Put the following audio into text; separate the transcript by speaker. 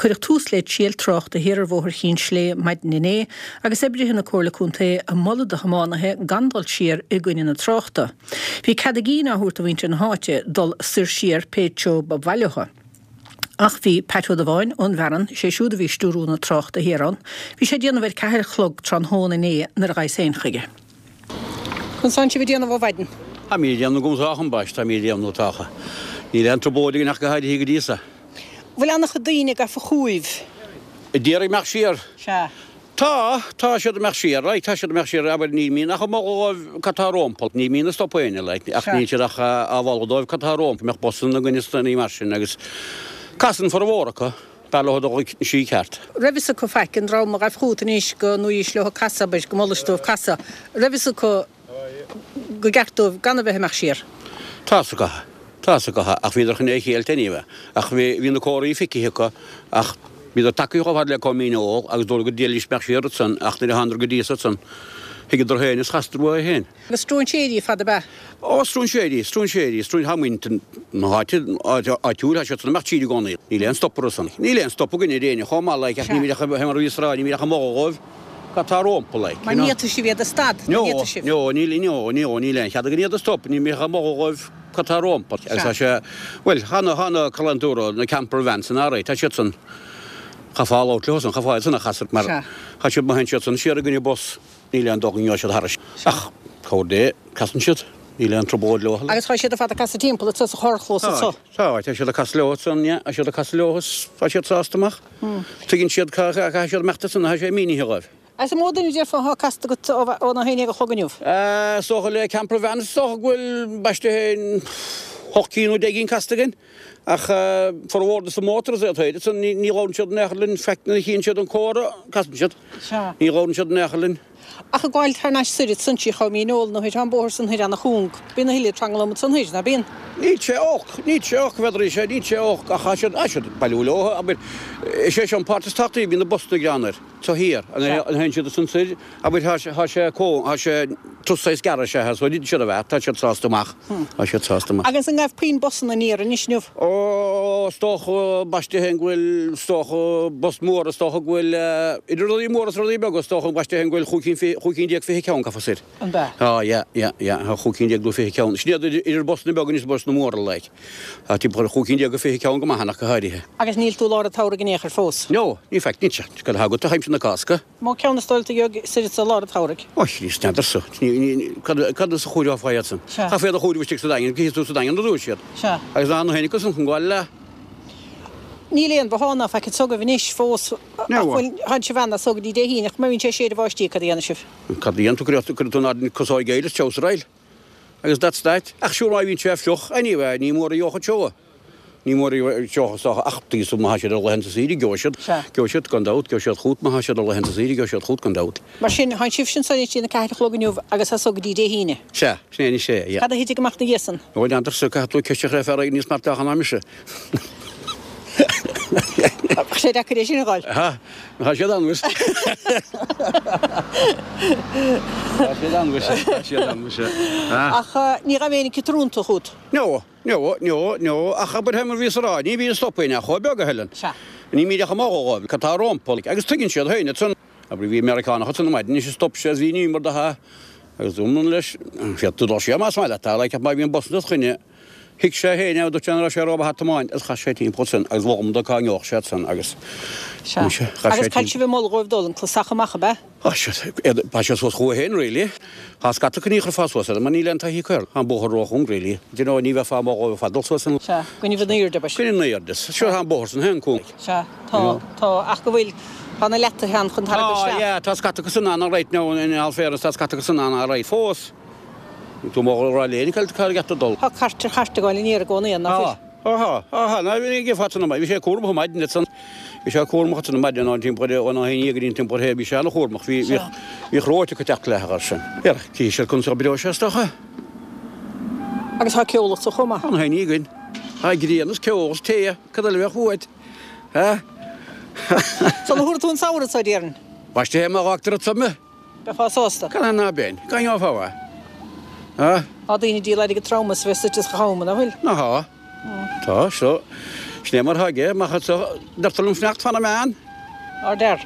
Speaker 1: Cuireadh tús le triail tráchta thiar ar Bhóthar Chinn Slé maidin inné agus oibrithe na Comhairle Contae ag moladh do thiománaithe gan dul siar i gcoinne na tráchta. Bhí cead a gcinn á thabhairt do mhuintir na háite dul soir siar pé treo ba mhaith leo. Ach bhí Pat Ó Dubháin ón bhFearann, sé siúd a bhí ag stiúrú na tráchta thiar ann, bhí sé ag déanamh ar cheathair a chlog tráthnóna inné nuair a ghabhas féin chuige. Conas tánn sibh ag déanamh ó mhaidin?
Speaker 2: Táimid ag déanamh go sách ambaiste, táimid ag déanamh tá. Níl aon trioblóid againn ach go háirithe go dtí so.
Speaker 1: Bhfuil an-chuid daoine gafa chugaibh?
Speaker 2: Ag iarraidh imeacht siar?
Speaker 1: Sea.
Speaker 2: Tá, tá siad ag imeacht siar, like, tá siad ag imeacht siar, abair, ní mbíonn ach ag moladh dóibh cad tá rompu, ní mbíonn ag stopadh éinne, like, ach níl siad ach á mholadh dóibh cad tá rompu, mbeadh busanna againn is daoine mar sin agus casann formhór acu, b'fhearr leo dul an tslí ceart.
Speaker 1: Raibh fhios acu faic, an dream a ghaibh chugat anois go ndúraís leo casadh, abair, go molais dóibh casadh, raibh fhios acu go gceart dóibh gan a bheith ag imeacht siar.
Speaker 2: Tá fhios acu, tá fhios acu, ach bhíodar chun é a cheilt anyway. Ach bhí, bhí na comharthaí feicthe acu ach bhíodar tagtha chomh fada le Com Fhíneol agus dúradh go dtriailfidís imeacht siar ansan ach nuair a thánadar go dtí ansan thuigeadar féin is chasadar uathu féin.
Speaker 1: Agus stróinséirí ar fad ab ea?
Speaker 2: Ó, stróinséirí, stróinséirí, stróin, tá muintir na háite, áitiúil, tá siad san ag imeacht siar i gcónaí. Níl aon stop orthu san. Níl aon stop againn ar éinne chomh maith like ach ní bhíonn ach, mar a bhíos ag rá, ní bhíonn ach ag moladh dhóibh. Cad tá rompu, like,
Speaker 1: you know. Mar ní fhéadfaidh sibh iad a stad, ní fhéadfaidh sibh.
Speaker 2: No, no, níl, no, no, níl aon chead againn iad a stop, ní bhíonn ach ag moladh dhóibh cad tá rompu. Agus tá sé, bhuel, tá na, tá na calantóra, na camper vans san alright, tá siad san, chaithfeá labhairt leo san, chaithfeá iad san a chasadh mar, tá siad, má théann siad san siar i gcoinne bus, níl aon dóigh go ngeobhaidh siad thairis. Ach, cabhair Dé, casann siad, níl aon trioblóid leo.
Speaker 1: Agus tá siad ar fad ag casadh timpeall anso sa charrchlós anso.
Speaker 2: Tá, tá siad ag casadh leo ansan, yeah, tá siad ag casadh leo is tá siad sásta amach. Tuigeann siad cá caithfidh siad imeacht ansan, tá sé mínithe dhóibh.
Speaker 1: Agus an mó duine déarfá atá casta agat óna 11 a chlog inniu?
Speaker 2: Is dócha le camper van, is dócha go bhfuil, ambaiste féin, hocht gcinn nó deich gcinn casta againn. Ach formhór de na motors iad féin, ansan ní labhrann siad in aon chor linn, in fact nuair a chíonn siad an comhartha, casann siad. Ní labhrann siad in aon chor linn.
Speaker 1: Ach ag gabháil thar n-ais soir ansan trí Chom Fhíneol nó thoir, tá an bóthar san thoir ana-chúng. Bíonn a thuilleadh tranglam ansan thoir, ná bíonn?
Speaker 2: Níl sé olc, níl sé olc, n'fheadar sé, níl sé olc, ach tá siad, tá siad ag bailiú leo, abair, is é seo an páirt is tábhachtaí, bíonn na busanna greann air, so thiar, an théann siad ansan soir, abair, tá sé, tá sé cúng, tá sé turas saghas gearr is ea, so níl siad a bheith, tá siad sásta amach, tá siad sásta amach.
Speaker 1: Agus an ngaibh puinn busanna aniar anois inniu?
Speaker 2: Ó, is dócha, ambaiste féin go bhfuil, is dócha, bus mór, is dócha go bhfuil, idir rudaí móra is rudaí beaga, is dócha, ambaiste féin go bhfuil chúig cinn fi, chúig cinn déag fiche ceann gafa soir.
Speaker 1: An b'ea?
Speaker 2: Tá, yeah, yeah, yeah, tá chúig cinn déag nó fiche ceann. Sin iad idir, idir busanna beaga is busanna móra, like. Tá timpeall ar chúig cinn déag go fiche ceann go maith ann ach go háirithe.
Speaker 1: Agus níl tú i lár an tsamhraidh in aon chor fós?
Speaker 2: No, in fact, níl sé. Cad atá agat aimsir na Cásca?
Speaker 1: Mó ceann is dóigh leat a gheobhaidh soir i lár an tsamhraidh.
Speaker 2: Ó, Chríost, n'fheadarsa. Cad as a chomhaireofá iad san?
Speaker 1: Sea.
Speaker 2: Chaithfeá iad a chomhaireamh istigh sa Daingean, cífidh tú sa Daingean a dúirt siad.
Speaker 1: Sea.
Speaker 2: Agus ná na héinne san chun gabháil le.
Speaker 1: Níl aon bhothán ná faic anso agaibh anois fós ach bhfuil, tánn sibh ann as so go dtí Dé hAoine, ach má bhíonn sé ag séideadh báistí, cad a dhéanfaidh sibh?
Speaker 2: Cad a dhéanfaidh tú, cuirfidh tú in airde casóig aeir is treabhsar air. Agus that's that. Ach sure má bhíonn sé fliuch, anyway, ní mór a gheobhadh seó. Ní mór a gheobhadh is dócha ach tuigfidh tú má thá siad ar laethanta saoire gheobhaidh siad, gheobhaidh siad gan dabht, gheobhaidh siad chugat má thá siad ar laethanta saoire gheobhaidh siad chugat gan dabht.
Speaker 1: Mar sin, tánn sibhse anso anois dtí'n 4 a chlog inniu agus as so go dtí Dé hAoine.
Speaker 2: Sea, sin é anois é, yeah.
Speaker 1: Cad a thitfidh amach 'na dhiaidh san?
Speaker 2: Ó, n'fheadarsa, caithfidh tú ceist a chur ar fear éigin níos meartach ná mise.
Speaker 1: Bheadh sé deacair é sin a dh'fháil.
Speaker 2: Ha, tá siad ann, muis. Tá siad ann, muis, tá siad ann, muis.
Speaker 1: Ach ní ghabh éinne ag trúntú chugat?
Speaker 2: No. No, no, no, ach abair fé mar bhíos a rá, ní bhíonn stop éinne ach chomh beag a thuilleann.
Speaker 1: Sea.
Speaker 2: Ní mbíd ach ag moladh dhóibh cad tá rompu, agus tuigeann siad féin ansan. Abair bhí Meiriceánach ansan ar maidin is stop sé is bhí an iomar de ha, agus dúirt leis, féadfaidh tú dul siar más maith leat, like, ach má bhíonn bus dod choinne, thuig sé féin é, dúirt sé nach raibh sé rómhaith a tiomáint agus chas sé timpeall ansan agus mhol dó cá ngeobhadh sé ansan agus,
Speaker 1: Sea.
Speaker 2: muise, chas
Speaker 1: Agus
Speaker 2: sé
Speaker 1: cad
Speaker 2: timpeall.
Speaker 1: sibh ag moladh dhóibh dul, an clasach amach, ab ea?
Speaker 2: Tá siad suas chucu féin really. Tá scata acu ní chuirfeá suas iad mar níl aon taithí acu air. Tá an bóthar róchúng really. Do you know ní bheifeá ag moladh dóibh ar fad dul suas an.
Speaker 1: Sea, coinnibh in airde abair.
Speaker 2: Coinnibh in airde. Sure tá an bóthar san féin cúng.
Speaker 1: Sea, tá, tá, ach go bhfuil, tá na leataithe ann chun tarraingt
Speaker 2: Tá,
Speaker 1: isteach.
Speaker 2: yeah, tá scata acu san ann alright now in all fairness tá scata acu san ann alright fós. Níl tú ag moladh a rá léi cad cá gceart dul.
Speaker 1: Tá cairt ar chairt ag gabháil aniar i gcónaí ann, ná fuil?
Speaker 2: Tá. Tá, tá, ná bhí ag fad san bhí sé cúramach ar maidin ansan. Bhí sé cúramach ansan ar maidin ón timpeall ar óna haon dhéag go dtí an timpeall ar shé, bhí sé an-chúramach, bhí, bhí, bhí chróite acu teacht le thar sin. Ar, cífidh siad conas a oibreoidh sé is dócha.
Speaker 1: Agus tá ceol anso chomh maith.
Speaker 2: Tá na haon againn. Tá grian is ceol is tae, cad eile a bheadh uait? Ha?
Speaker 1: Sula thabharfaidh tú an samhradh anso, déarfainn.
Speaker 2: Ambaiste má fhágtar anso mé.
Speaker 1: Beifeá sásta.
Speaker 2: Cad é ná beinn? Cá ngeofá é? Ha?
Speaker 1: Tá daoine ag díol airgead trom as bheith suite sa cham, nach bhfuil?
Speaker 2: Ná tá. Tá, so. Sin é mar atá aige, má deirtear liom fanacht, fanfaidh mé ann.
Speaker 1: Ár dear.